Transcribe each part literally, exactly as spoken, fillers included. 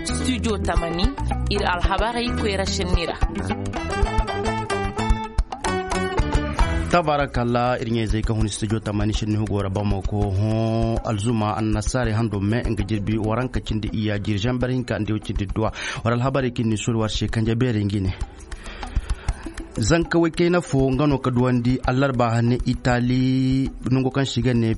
Studio tamani, ir alhabarey koyra šenni ra. Tabarakalla, ir ɲayzey ka hun studio tamani šenni hugo ra bamako hõ. Alzuma annasaarey hando me nga jirbi waranka cindi iyya jiri žamber hinka nda iw cindi duwa. War alhabarey kaŋ ni suru war se kanje beerey ngi ne. Zanka woy kayna fo nga no ka duwandi allarba hane itali, nango kaŋ se i ga ne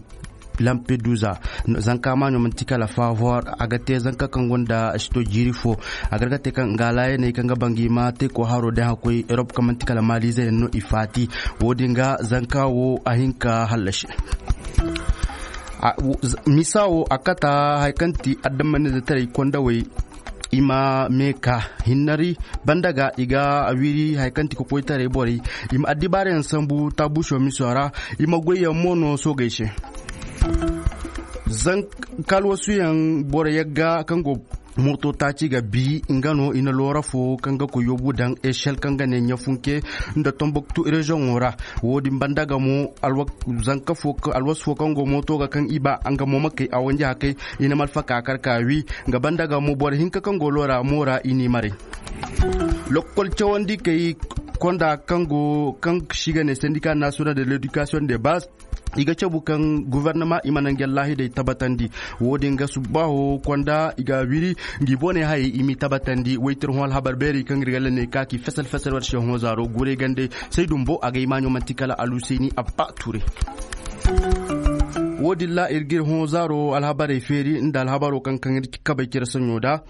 lampedusa. Zanka maaɲo manti kala favor, a ga te zanka kaŋ gonda sito jiiri fo. A ga te kaŋ nga alaayaney kaŋ ga banga i ma te ko haro day hakoy erop kaŋ manti kala malize yaŋ no i faati. Wo- din ga zanka wo a hin ka hallasi. Misa wo a kata hari kaŋ ti adamanize taray kondawey. I ma meeka hinnari banda ga i ga a wiri hari kaŋ ti kokoytaray borey. I ma addibaarayaŋ sambu taabuuso miso ra. I ma goyyaŋ mo no soogey se. Zanka alwasuyaŋ boro yagga kaŋ go mooto taaci ga bi nga no i na loora fo kaŋ ga koy yoobu daŋ esel kaŋ ga ne ɲafunke nda tomboktu reziyoŋo ra. Wo- din banda ga mo alwasu fo kaŋ go mooto ga kaŋ i ba nga mo ma kay a wanji hakay. I na malfaka kar ka wi nga banda ga mo boro hinka kaŋ go loora mo ra i n'i maray. Lokkol cawandi kay konda kaŋ go kaŋ si ga ne sendika nasiyonal de ledikasiyoŋ de bas. I ga cabu kaŋ gofornama i ma nangu yallaahidey tabatandi. Wo- din ga subbaaho konda i ga a wiri ngi bone hayey i m'i tabatandi woytir hõ alhabar beeri kaŋ ir ga lanney ka ki fesel fesel war se hõ zaaro guray gandey. Say dumbo a ga i maaɲo manti kala aluseyni abba ture. Wo- din ra ir ga ir hõ zaaro alhabarey feeri nda alhabaro kaŋ kaŋ ir kabay cire saɲo da.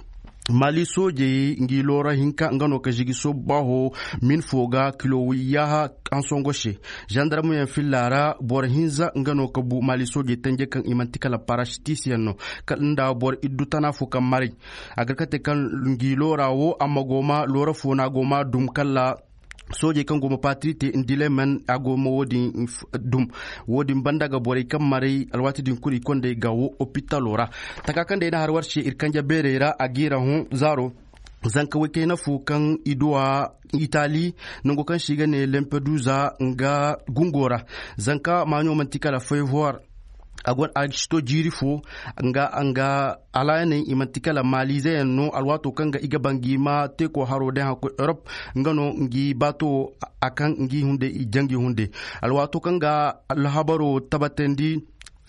Mali soojey ngi loora hinka nga no ka žigi soobu baaho. Min fo ga kilo wiyyaha ansongo se. Zandarmuyaŋ filla ra boro hinza nga no ka bu mali soojey tanje kaŋ i manti kala parasitisyaŋ no. Kala nda boro iddu tana fo kaŋ maray. A ga kate kaŋ ngi loora wo amma go ma loora fo no a go ma dum kala. Soojey kaŋ go ma patirite ndilemen a go ma wo- din dum. Wo- din banda ga borey kaŋ maray alwaati din kulu i kondey ga wo opitalo ra. Taka kaŋ day na har war se ir kanja beerey ra a g'i ra hõ zaaro. Zanka woy kayna fo kaŋ i duwa itali nango kaŋ se i ga ne lampedusa nga gungo ra. Zanka maaɲo manti kala fayfor. A go a si to jiiri fo nga nga alaayaney i manti kala malizeyaŋ no alwaato kaŋ ga i ga ba ngi ma teeko haro day haŋ koy erop. Nga no ngi baato a kaŋ ngi hunday i jangi hunday. Alwaato kaŋ ga alhabaro tabatandi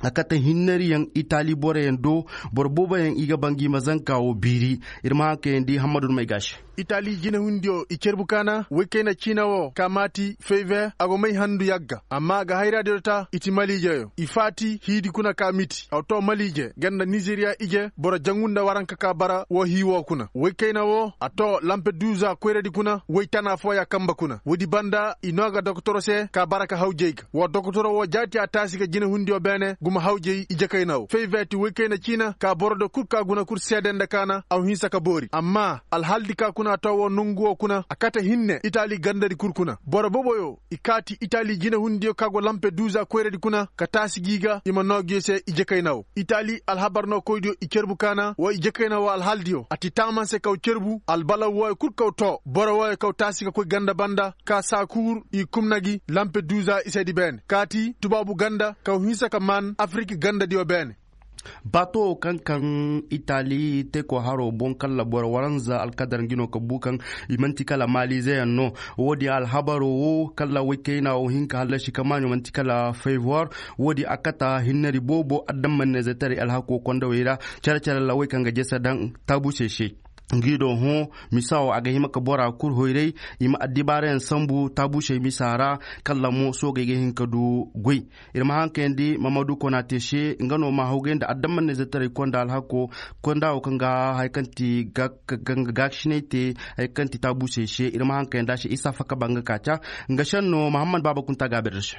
a kate hinnariyaŋ itali boroyaŋ do. Boro booboyaŋ i ga ba ngi ma zanka wo biiri. Ir ma haŋ kayandi hammadu may ga se. Itali jinehundiyo i cerbu kaana woy kayna ciina wo ka maati fayver a go may handu yagga amma a ga hayraadiyo ta i ti maliijeyo i faati hiidi kuna ka miti a to maliije ganda nizeriya ije boro jangu nda waranka ka bara wo hii wo kuna woy kayna wo a to lampeduza koyradi kuna woy tana fooya kamba kuna woodi banda i noo ga dokotoro se ka bara ka hawjey ga wa dokotoro wo jaati a taasi ga jinehundiyo beene guma hawjey ije kayna wo fayver ti woy kayna ciina ka boro do kul ka guna kul seede nda kaana a ma hinsa ka boori amma alhaldi ka kuna to wo nongu wo kuna a kate hinne itali gandadi kul kuna boro boboyo i kaati itali jinehundiyo ka go lampeduza koyradi kuna ka taasi gi ga i ma noo gi se ije kayna wo itali alhabar noo koydiyo i cerbu kaana wo ije kayna wo alhaldiyo a ti taamanse kaw cerbu albalaw wooyo kul kaw to boro wooyo kaw taasi ga koy ganda banda ka saakuur i kumna gi lampeduza isedi beene kaati tubaabu ganda kaw hinsa ka maan afiriki gandadiyo beene. Baato kaŋ kaŋ itali teeko haro boŋ kalla boro waranza alkadar ngi no ka bu kaŋ i manti kala malizeyaŋ no. Wo- din alhabaro wo kalla woy kayna wo hin ka hallasi kamaaɲo manti kala fayvor. Wo- din a kata hinnari boobo adammanneezetaray alhako kondawey ra. Care care ra woy kaŋ ga jese daŋ taabuusey se. Ngi do hõ misa wo a ga hima ka bora kul hoyray. I ma addibaarayaŋ sambu taabuusey misa ra. Kalla mo soogey ga hin ka du goy. Ir ma haŋ kayandi mamadu konate se nga no ma hawgay nda adammanneezetaray konda alhako. Konda wo kaŋ ga hari kaŋ ti gaakasinay te hari kaŋ ti taabuusey se ir ma haŋ kayandi a se isa faka ba nga ka ca. Nga senno mahammad baaba kunta gaabir da se.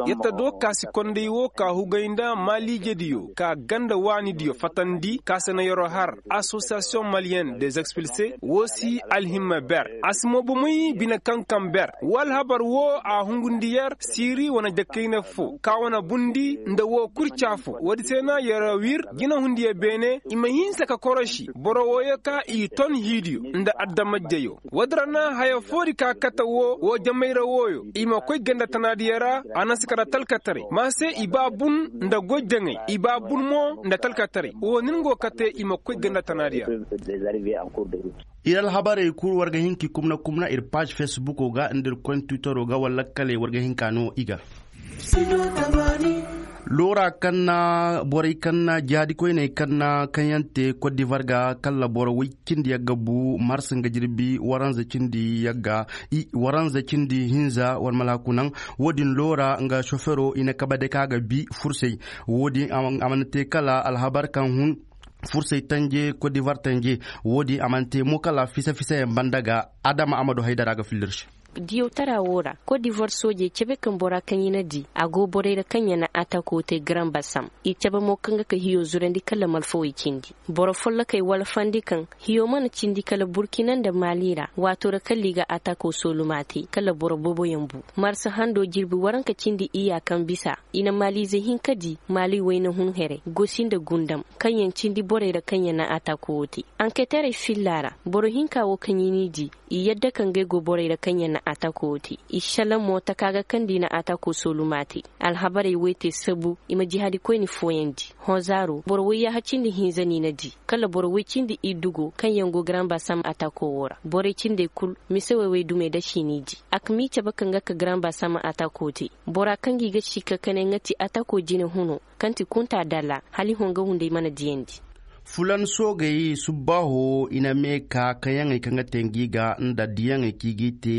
Yadda do ka si konday wo ka hugay nda maaliijediyo ka ganda waanidiyo fatandi ka se na yaro har asosa. Asosiyasiyoŋ maliyen des expilse woo si alhimma ber. A si mo bomey bine kaŋ kaŋ ber woo alhabar woo a hungundi yer siiri wane dakayna foo ka wane bundi nda woo kul caafoo woodi se na yer wir jinehundiyo beene i ma hinsa ka koroši boro wooyo ka i ton hiidiyo nda adamajjeyo. Woodi ra na haya foodi ka kate woo woo jamayra wooyo i ma koy ganda tanaadiyo ra. A na si kate nda talkataray ma se i ba bun nda goy jaŋay i ba bun mo nda talkataray woo nin go kate i ma koy ganda tanaadiyo ra. Ir alhabarey kul war ga hin k'i kumna kumna ir paaž fesbuko ga nda ir koy nda twitero ga wala lakkaley war ga hin k'a noo i ga. Loora kaŋ na borey kaŋ na jihaadi koyney kaŋ na kaŋ yaŋ te kot divar ga kala boro woy cindi yagga bu mars nga jirbi waranza cindi yagga waranza cindi hinza war malaaku naŋ. Wo-din loora nga sofero i na kabe day kaŋ a ga bi fursey. Wo-din a mana te kala alhabar kaŋ hun fursey tanje kot divar tanje. Wo-din a mana te mo kala fisa fisayaŋ banda ga adama a ma du haydara ga filla ir se. Diyawtara woo ra kot divar soojey cebe kaŋ bora kaŋ i na di a go borey ra kaŋ ya na atako te garan basam. I cebe mo kaŋ ga ka hiyo zurandi kala malfawey cindi boro follokey walfandi kaŋ hiyo mana cindi kala burkina nda mali ra waato ra kala i ga atako sooluma te kala boro booboyaŋ bu. Marsa hando jirbi waranka cindi iyya kaŋ bisa i na maliize hinka di mali wayna hun here gosi nda gundam kaŋ yaŋ cindi borey ra kaŋ yaŋ na atako woo te. Anketerey filla ra boro hinka woo kaŋ i n'i di i yadda ka ngey go borey ra kaŋ yaŋ na atako woo te. I šelaŋ mo taka ga kaŋ da i na atako sooluma te. Alhabarey woy te sabu i ma jihaadi koyni fooyandi. Hõ zaaro boro woy yaaha cindi hinza no i na di kala boro woy cindi iddu go kaŋ yaŋ go garan basam atako woo ra borey cindey kul mise woy woy dumey dasi i n'i di. A ka m'i cabe ka nga ka garan basam atako te. Bora kaŋ ga i ga si ka kane nga ti atako jine huno kaŋ ti kunta dalla hala i hõ nga hunday mana diyandi. Fulan soogey subbaaho i na mee ka kaŋyaŋey kaŋ ga te ngi ga nda diyaŋey kaŋ i g'i te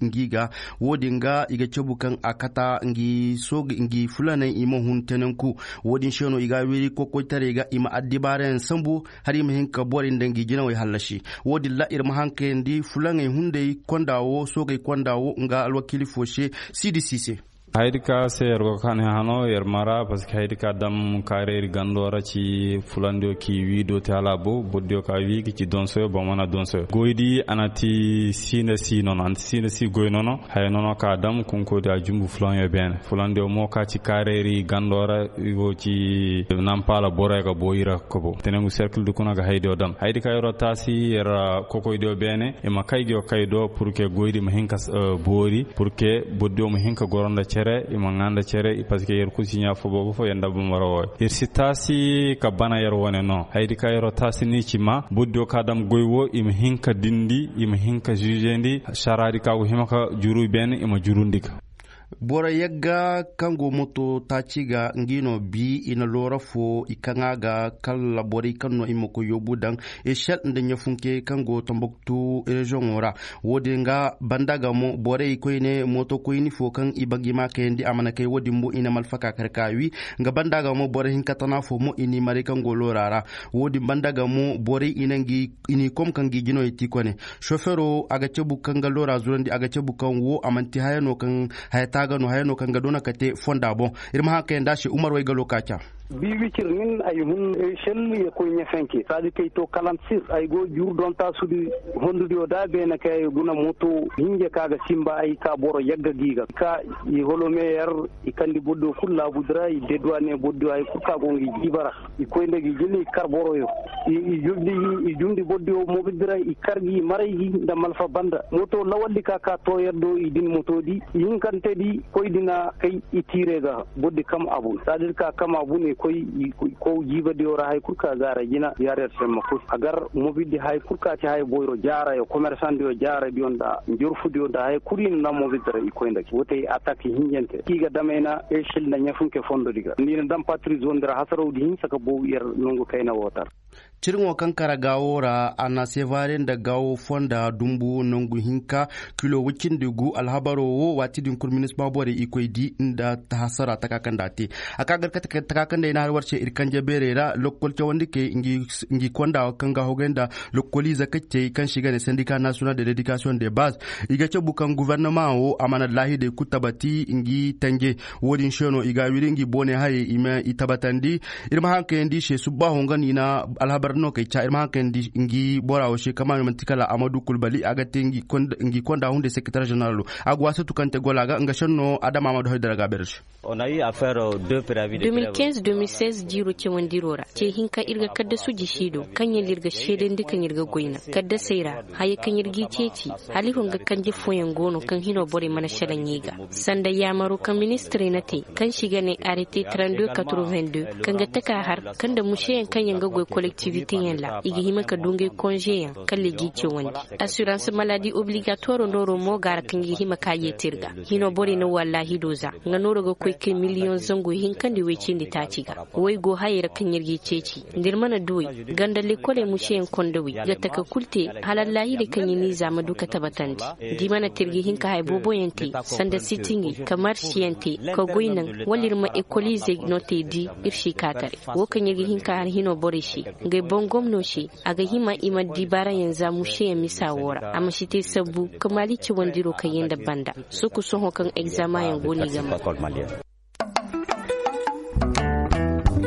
ngi ga. Wo-din ga i ga cabu kaŋ a kata ngi fulaney i ma hun tenenku. Wo-din se no i ga a wiri kokoytaray ga i ma addibaarayaŋ sambu hala i ma hin ka borey nda ngi jinawey hallasi. Wo-din ra ir ma haŋ kayandi fulaŋey hunday konda wo soogey konda wo nga alwakiili fo se. Siidi si se. Hayadi ka se yer go ka ne hano yer mara parceque hayadi ka dam kareeri gando ra ci fulandiyo ki wiido te hala a bo bordiyo ka wii ga ci donsoyo ba mana donsoyo goydi a na ti siina si nono a na ti siina si goy nono. Haya nono ka dam kunkoydi a jumbu fulanyo beene fulandiyo mo ka ci kareeri gando ra i go ci nampaala boroyo ga bo ira kobo tenengu cercle di kuna ga haydiyo dam hayadi ka yeroo taasi yer kokoydiyo beene i ma kay go kay do pour que goydi ma hin ka boori pour que bordiyo ma hin ka goro nda cere i ma ŋaa nda cere. Parceque yer kul si ɲaa fo boobo fo yer nda bambara wooyo yer si taasi ka bana yer wane no hayadi ka yeroo taasi ni ci ma bordiyo ka dam goy wo i ma hin ka dindi i ma hin ka ziizendi saraadi ka go hima ka juru beene i ma jurundi ga. Boro yagga kaŋ go moto taaci ga ngi no bi i na loora fo i kaŋ a ga kala borey kaŋ no i ma koy yoobu daŋ ešel nda ɲafunke kaŋ go tambaktu reziyoŋo ra. Wo-din ga banda ga mo borey koyne moto koyni fo kaŋ i ba ngi ma kayandi a mana kay wo-din mo i na malfaka kar ka wi. Nga banda ga mo borey hinka tana fo mo i n'i maray kaŋ go loora ra. Wo-din banda ga mo borey i na ngi i n'i kom ka ngi jinoyey ti kone. Sofero a ga cabu kaŋ ga loora zurandi a ga cabu kaŋ wo a manti haya no kaŋ haya taaga no haya no kaŋ ga doona ka te fonda boŋ. Ir ma haŋ kayandi a se umar waygalo ka ca. Bi wicir nin ay hun ešel ye koy ɲefenke saadi kay to kalantir ay go jur dontaasudi hondudiyo da beene kay ay guna moto hinje ka ga simba ay ka boro yagga gi ga ka i holomeyer i kandi boddo kul laabudi ra i deduwane boddo hay kul ka go ngi jiiba ra. I koy nda gi jine i kar boroyo i jumdi bordiyo mobidi ra i kar gi i maray gi nda malfa banda moto lawaldi ka ka tooyer do i din motodi i hinkantedi koydi na kay i tiire ga bordi kam abu sadir ka kam abu ne koy i kow jiibadiyo ra hay kul ka gaara jina yaarer semma kul a gar mobidi hay kul ka ci hay boyro jaarayo komersandiyo jaaradiyo nda njorfudiyo nda hay kul i na na mobidi ra i koy nda gi wotey atak hinjante i ga damay na ešil nda ɲafunke fondodi ga ni na dam patri zone di ra hasarawdi hinsa ka bow yer nongu kayna woo tar. Ciriŋo kaŋ kara gaawo ra a na sevare nda gaawo fonda dumbu nangu hinka kilo woy cindi gu alhabaro wo waati din kul minisma borey i koy di nda hasara taka kaŋ nda a te. A ka gar kate taka kaŋ nda ay na har war se ir kanje beerey ra lokkol cawandikey ngi konda kaŋ ga hogay nda lokkoliize kaccey kaŋ se i ga ne sendika nasiyonal de ledikasiyoŋ de baz. I ga cabu kaŋ gofornama wo a mana laahidey kul tabati ngi tanje. Wo-din se no i ga a wiri ngi boone hayey i ma i tabatandi. Ir ma haŋ kayandi i se subbaaho nga no i na Alhabar no kay ca ir ma haŋ kayandi ngi bora wo se kama manti kala amadu kulbali a ga te ngi konda hunde seketar jeneralo. A ga waasatu kaŋ te gola ga nga senno adama amadu haydara ga a beere se. Deux mille quinze deux mille seize jiiro cawandiro ra ce hinka ir ga kaddasu jisi do kaŋ yaŋ da ir ga seedandi kaŋ ir ga goy naŋ kaddasey ra. Haya kaŋ ir g'i ceeci hala i hon ga kanje fooyaŋ go no kaŋ hino borey mana šelaŋ i ga sanda yaamaro kaŋ ministirey na te kaŋ se i ga ne arrêté trente deux quatre-vingt-deux kaŋ ga taka har kaŋ nda museyaŋ kaŋ yaŋ ga goy kolektiviteyaŋ ra i ga hima ka du ngey konzeyaŋ kala i g'i cawandi. Assurance maladi obligatoro nooro mo ga ra kaŋ i ga hima ka yeeti ir ga hino borey na wallaahi do za nga nooro ga koy kay miliyoŋ zangu hinkandi woy cindi taaci ga. Woy go hayey ra kaŋ ir g'i ceeci nda ir mana duwey ganda lekoley museyaŋ konda wey ga taka kul te hala allaahirey kaŋ i n'i za ma du ka tabatandi. Da i mana te ir ga hin ka haya booboyaŋ te sanda sitingey ka marsiyaŋ te ka goy naŋ wala ir ma ekoliizey no te di ir si kaataray. Wo kaŋ ir ga hin ka har hino borey se ngey boŋ gomno se a ga hima i ma dibaarayaŋ za museyaŋ misa wo ra a ma si te sabbu ka maali cawandiro kaŋ yaŋ nda banda. Soko sohõ kaŋ egzamayaŋ go no i ga ma.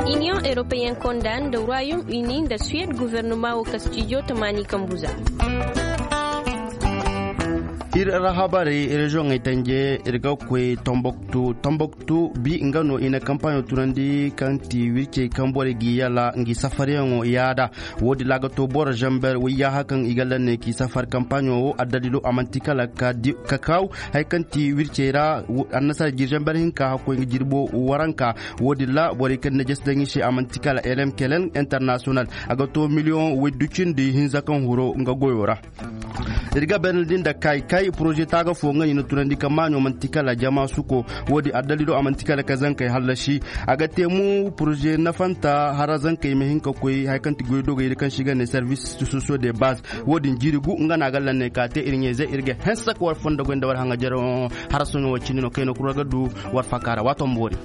Iniyoŋ europeyen konda nda royaume uni nda suwed guvernoma wo ka stijo tamaani kambu za. Ir ra habarey reziyoŋey tanje ir ga koy tomboktu tomboktu bi nga no i na kampaɲo tunandi kaŋ ti wircey kaŋ borey g'i yala ngi safaryaŋo yaada. Wo-din ra a ga to boro zamber wayyaaha kaŋ i ga lanney k'i safar kampaɲo wo addalilo a man'ti kala ka kaaw. Haya kaŋ ti wircey ra annasara jiri zamber hinka hakkoy nga jirbo waranka. Wo-din ra borey kaŋ na jesi daŋ i se a man'ti kala elem kelen internasiyonal a ga to miliyoŋ woy du cindi hinza kaŋ huru nga goyo ra. Ir ga benandi nda kay kay poroze taaga fo nga ni na tunandi ka maaɲo man'ti kala jama suko. Wo-din addalilo a man'ti kala ka zankey hallasi. A ga te mo poroze nafanta hara zankey ma hin ka koy haya kaŋ ti goydogey da kaŋ se i ga ne servis sosiyo de baz. Wo-din jiiri gu nga no a ga lanney ka te ir ɲayzey ir ga hanse ka war fondo goy nda war haŋajeroŋo. Hara sohõ wo cindi no kayna kura ga du war fakaara waato ma boori.